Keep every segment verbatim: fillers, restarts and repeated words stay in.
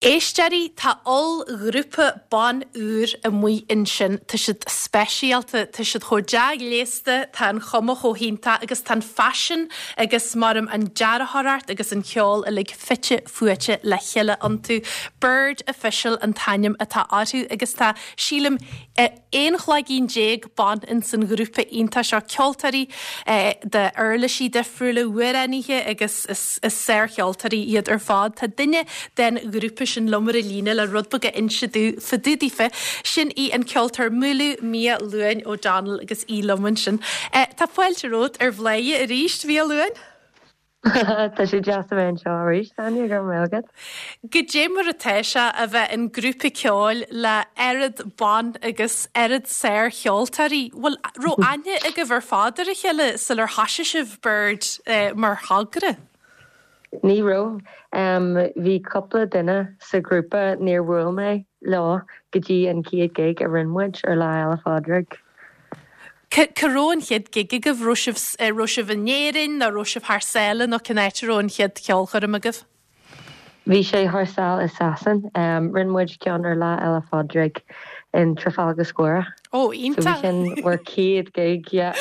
Éisteoirí tá ollghrúpa ban úr amuigh ansin tá siad speisialta tá siad chomh dea-ghléasta tá an chuma chomh hiontach agus tá an faisean agus mar an dearthóireacht agus an ceol uilig fite fuaite le chéile iontu. Bird Official an t-ainm atá orthu agus tá sílim aon chloigeann déag ban in san ghrúpa iontach seo ceoltóirí de uirlisí difriúla amhránaithe agus is, is sárcheoltóirí iad ar fad. Tá duine den ghrúpa sin liom ar líne le rud beag a inse fá dtaobh daofa sin í an ceoltóir Múlú Mia Luain O'Donnell agus í liom ansin. Eh, tá fáilte romhat ar Bhladhaire arís Mia Luain? Tá sé deas a bheith anseo arís Áine go raibh agat. Goidé mar atá sé a bheith in grúpa ceoil le oiread ban agus oiread sárcheoltóirí, Bhfuil raibh aithne agaibh ar fad ar a chéile sular thosaigh sibh Bird eh, mar thogra. Ní raibh um, bhí cúpla duine sa grúpa níor bhuail mé leo go dtí an chéad gig a rinne muid ar Lá Fhéile Pádraig. Cá raibh an chéad gig agaibh raibh sibh raibh sibh in Éirinn nó raibh sibh thar sáile nó cén áit a raibh an chéad cheolchoirm agaibh? Bhí sé thar sáile i Sasain, um, rinne muid ceann ar Lá Fhéile Pádraig in Trafalgar Square. Ó iontach sin bhur chéad gig yeah.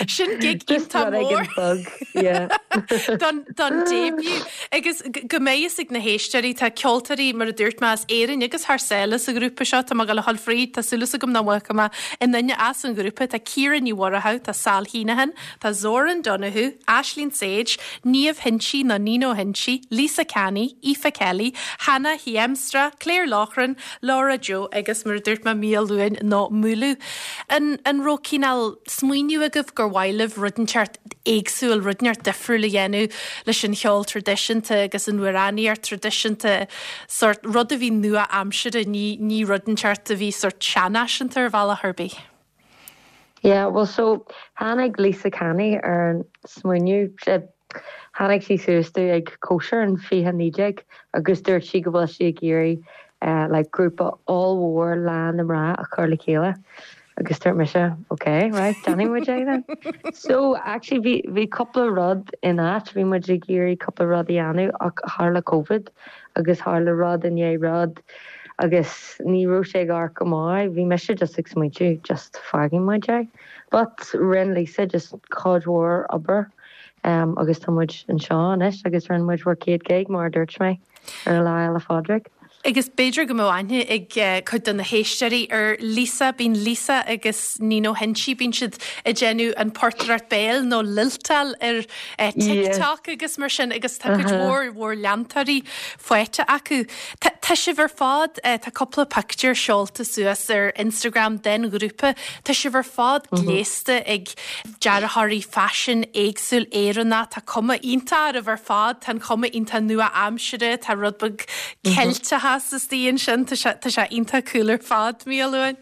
Sin gig iontach mór bug yeah. don don debut agus go mbeidh ag na héisteoirí tá ceoltóirí mar a dúirt mé as Éirinn agus thar sáile sa ghrúpa seo tá go le fríd tá súil agam nach bhfuil mé i nduine as an ghrúpa tá Ciara Ní Mhurchú tá Sal Heenahan tá Zoran Donoghue Ashleen Sage Niamh Hinchy nó Nino Hinchy Lisa Canny Aoife Kelly Hannah Hiemstra Claire Loughran Laura Joe agus mar a dúirt mé Mia Luain nó Múlú. An, an raibh cineál smaoineamh agaibh gur mhaith libh rud inteacht éagsúil rud inteacht difriúil a dhéanamh leis an cheol traidisiúnta agus an amhránaíocht traidisiúnta sort rud a bhí nua-aimseartha ní ní rud inteacht a bhí sort seanfhaiseanta ar bhealach ar bith. Yeah, well so tháinig Lisa Canny ar an smaoineamh tháinig sí suas dúinn ag cóisir an fiche naoi déag agus dúirt sí go bhfuil sí ag iarraidh uh, like grúpa ollmhór lán na mná a chur le chéile. agus dúirt mise okay right déanfaidh muid é then. So actually bhí bhí cúpla rud in áit bhí muid ag iarraidh cúpla rud a dhéanamh ach tharla COVID agus tharla rud i ndiaidh rud agus ní raibh sé gar go maith bhí mise just ag smaointiú just fágfaidh muid é. But rinne Lisa just cuid mhór obair um, agus tá muid anseo anois agus rinne muid bhur céad gig mar a dúirt mé ar Lá Fhéile Pádraig. Agus b'fhéidir go mbeadh aithne ag uh, cuid de na héisteoirí ar Lisa bíonn Lisa agus Nino Hinchy bíonn siad ag déanamh an portaireacht béil nó lilteáil ar uh, TikTok yeah. agus mar sin agus tá cuid mhór mhór leantóirí faighte acu. Tá sibh ar fad uh, tá cúpla pictiúr seolta suas ar Instagram den ghrúpa, Tá sibh ar fad mm -hmm. gléasta ag dearthóirí faisin éagsúil Éireannach tá cuma iontach oraibh ar fad tá cuma iontach nua-aimseartha tá rud beag Ceilteach istigh ansin tá sé iontach cool ar fad Mia Luain.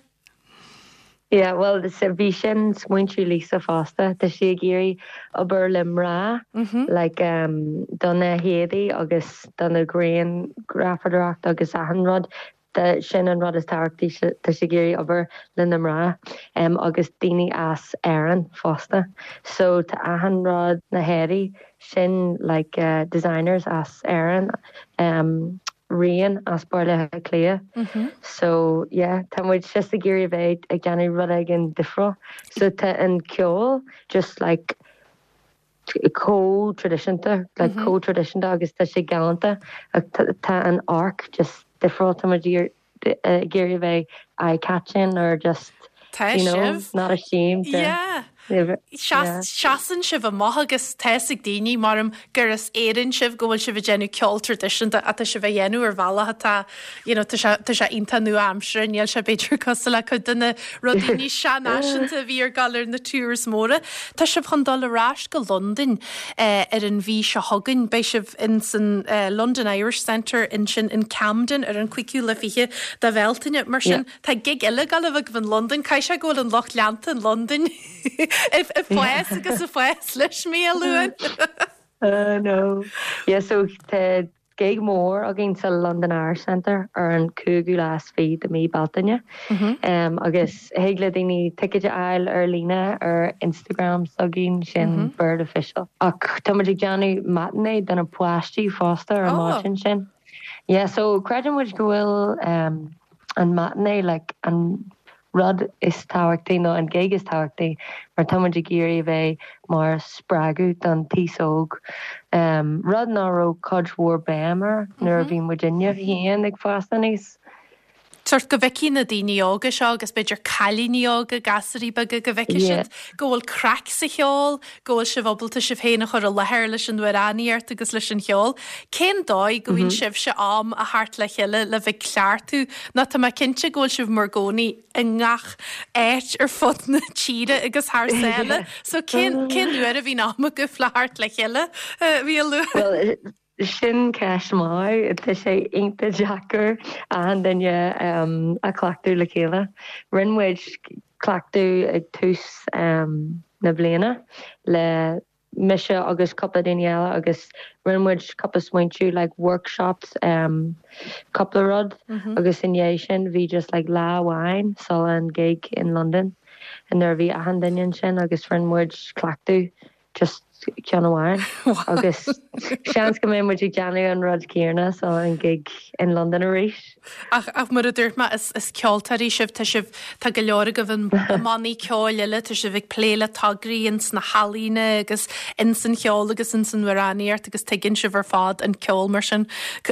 Yeah, well bhí sin smaointiú Lisa fosta Tá sí ag iarraidh obair le mná mm -hmm. like, um, do na héadaí agus do na grianghrafadóireacht agus achan rud de sin an rud is tábhachtaí tá sí ag iarraidh obair le na mná um, agus daoine as Éirinn fosta. So tá achan rud na héadaí sin like, uh, designers as Éirinn um, rian as Baile Átha Cliath. Mm -hmm. So yeah, tá muid just ag iarraidh bheith ag déanamh rud éigin difriúil. So tá an ceol just like chomh traidisiúnta like mm -hmm. chomh traidisiúnta agus tá sé galánta tá an amharc just difriúil tá muid ag iarraidh bheith eye-catching or just Tá you know, not ashamed to, yeah. Seasann sibh amach agus tá a fhios ag daoine mar gur as Éirinn sibh go bhfuil sibh ag déanamh ceol traidisiúnta atá sibh a dhéanamh ar bhealach atá tá sé iontach nua-aimseartha níl sé b'fhéidir cosúil le cuid de na rudaí níos seanfhaiseanta a bhí ar gall ar na tours móra. Tá sibh chun dul ar ais go Londain eh, ar an mhí seo chugainn beidh sibh in san uh, London Irish Centre ansin in Camden ar an cúigiú lá fiche de Bhealtaine mar sin tá gig eile ag gabháil in London Caithfidh sé go bhfuil an lucht leanta in London. Ag fás agus ag fás leis Mia Luain. Uh, no. Yeah, so tá gig mór againn sa London Irish Centre ar an cúigiú lá is fiche de mí Bealtaine. Mm -hmm. um, agus thig le daoine ticéid a fháil ar líne ar Instagram s'againn sin mm -hmm. Bird Official. Ach tá ag déanamh matinee do na páistí fosta ar oh. sin sin. Yeah, so creideann muid go bhfuil um, an matinee like an rud is tábhachtaí nó an gig is tábhachtaí mar tá muid ag iarraidh bheith mar spreagadh don aos óg. Um, rud nach raibh cuid mhór béim air nuair a bhí muidinne féin ag fás aníos. Sort go bhfeicfidh na daoine óga seo agus b'fhéidir cailíní óga gasúirí beaga go bhfeicfidh siad go bhfuil craic sa cheol, go bhfuil sibh ábalta sibh féin a chur i láthair leis an amhránaíocht agus leis an cheol. Cén dóigh go bhfaigheann sibhse am a theacht le chéile le bheith cleachtadh nó tá mé cinnte go bhfuil sibh mar gcónaí i ngach áit ar fud na tíre agus thar sáile, so cén cén uair a bhíonn am agaibh le theacht le chéile bhí a lu. Well, sin ceist mhaith tá sé iontach deacair an duine um, a cleachtadh le chéile. Rinne muid cleachtadh ag tús um, na bliana le mise agus cúpla duine eile agus rinne muid cúpla smaointiú like workshops um, cúpla rud mm -hmm. agus i ndiaidh sin bhí just like lá amháin sula an gig in London and nuair bhí achan duine sin agus rinne muid cleachtadh just ceann amháin agus seans go mbeidh muid ag déanamh an rud céanna sa an gig in London arís. Ach ach mar a dúirt mé is is ceoltóirí sibh tá sibh tá go leor agaibh i mbannaí ceoil eile tá sibh ag plé le tograí ins na healaíona agus ins an cheol agus ins an amhránaíocht agus tuigeann sibh ar fad an ceol mar sin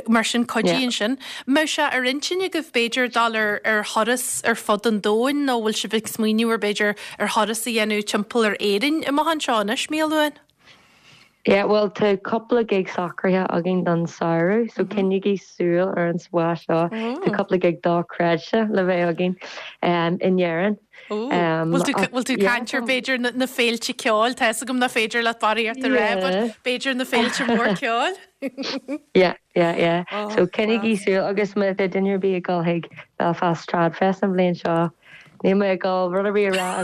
mar sin cuidíonn sin. Mbeadh sé ar intinn agaibh b'fhéidir dul ar ar thuras ar fud an domhain nó bhfuil sibh ag smaoineamh ar b'fhéidir ar thuras a dhéanamh timpeall ar Éirinn amach anseo anois Mia Luain? Yeah, well tá cúpla gig socraithe againn don samhradh, so mm -hmm. coinnígí súil ar an spás seo Tá cúpla gig dochreidte le bheith againn um, in Éirinn. Um, Bhfuil tú caint ar b'fhéidir na féilte ceoil tá gom na féidir le barraíocht a rá b'fhéidir na féilte mór ceoil? Yeah, yeah, yeah. Oh, so coinnígí súil agus má tá duine ar bith ag dul chuig Belfast Tradfest an bhliain seo. Ní mé gáil rud a rá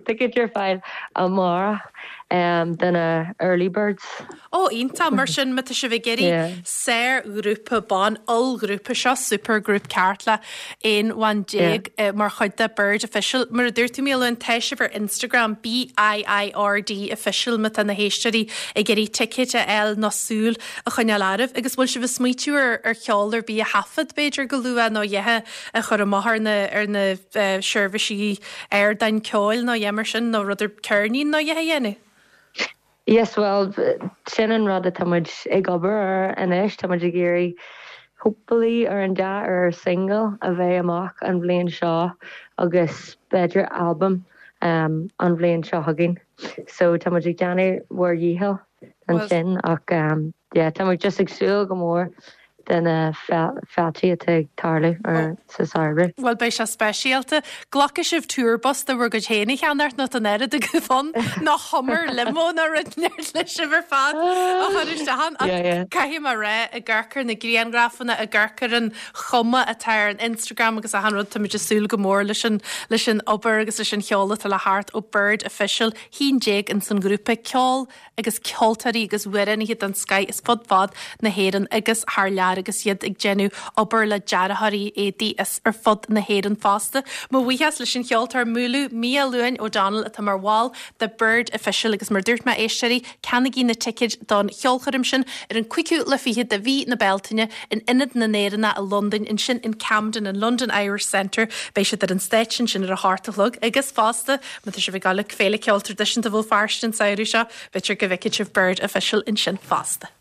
ticket ar fáil amárach um, do na early birds. Ó iontach mar sin má tá sibh ag iarraidh sárghrúpa ban ollghrúpa seo supergroup ceart le aon bhean déag yeah. mar chuid de Bird Official. Mar a dúirt tú Mia Luain tá sibh ar Instagram BIIRD Official má tá na héisteoirí ag iarraidh ticket a fháil nó súil a choinneáil oraibh agus bhfuil sibh ag smaoitiú ar ar cheol ar bith a thaifead b'fhéidir go luath nó é a chur amach ar na ar na uh, seirbhísí ardáin ceoil nó é mar sin nó rud ar ceirnín nó é a dhéanamh. Yes, well sin an rud atá muid ag obair ar anois tá muid ag iarraidh hopefully ar an dea ar single a bheith amach an bhliain seo agus b'fhéidir album um, an bhliain seo chugainn. So tá muid ag déanamh ár ndícheall ansin ach um, yeah, tá muid just ag súil go mór de na féilte atá ag tarlú ar sa samhradh. Well beidh sé speisialta. Glacfaidh sibh tour bus de bhur gcuid féin a cheannacht nó an oiread go fon ná Hummer limo ná rud le sibh ar fad a chur isteach Caithfidh mé rá ag amharc ar na grianghrafanna ag amharc ar an chuma atá ar an Instagram agus achan rud tá muid ag súil go mór leis an leis an obair agus leis an cheol atá le theacht ó Bird Official haon déag in san grúpa ceol agus ceoltóirí agus amhránaithe den scoth as fud fad na hÉireann agus thar lear agus iad ag déanamh obair le dearthóirí éadaí as ar fud na hÉireann fosta. Mo bhuíochas leis an cheoltóir Múlú Mia Luain O'Donnell atá mar bhall de Bird Official agus mar dúirt mé éisteoirí ceannaígí na ticéid don cheolchoirm sin ar an cúigiú lá fichead de mhí na Bealtaine in Ionad na nÉireannach i Londain ansin in Camden in London Irish Centre beidh siad ar an stáitse sin ar a hocht a chlog agus fosta má tá sibh ag dul Féile Ceoil Traidisiúnta Bhéal Feirste an samhradh seo b'fhéidir go bhfeicfidh sibh Bird Official ansin fosta.